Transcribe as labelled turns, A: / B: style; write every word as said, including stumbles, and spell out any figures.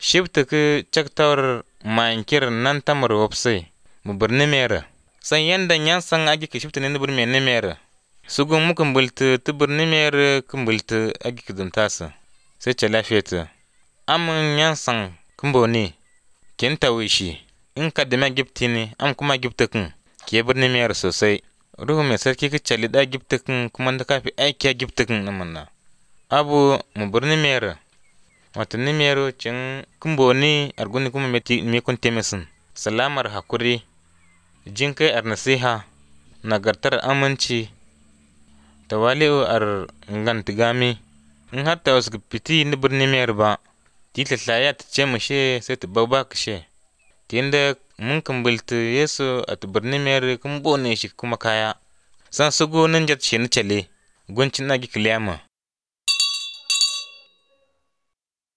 A: Shibta kə caktawar mankir nan tamar wopsai mu birni mere. San yanda nyansan agi kə shibta ni birni ne mere. Sugun muka mbulti ti birni mere kə mbulti agi kə zumtasa. Sai ce lafiyata. Amin nyansan kǝmboni kin tawishi in kadime giptini am kuma giptikin ke birni mere sosai. Ruhu mai sarki ka cali da giptikin kuma da kafi aiki giptikin namanna. Abu mu birni mere wato ni mero cin kumboni arguni kuma meti me kun temisin. Salamar hakuri jinkai ar nasiha nagartar aminci tawali'u ar ngantigami in har ta wasu piti ni birni mayar ba ti tlatlaya ta ce mushe sai ta bauba kishe tinda mun kumbilti yesu a ta birni mayar kun bone shi kuma kaya san sugo nan jat shi ni cale guncin na gi kiliyama.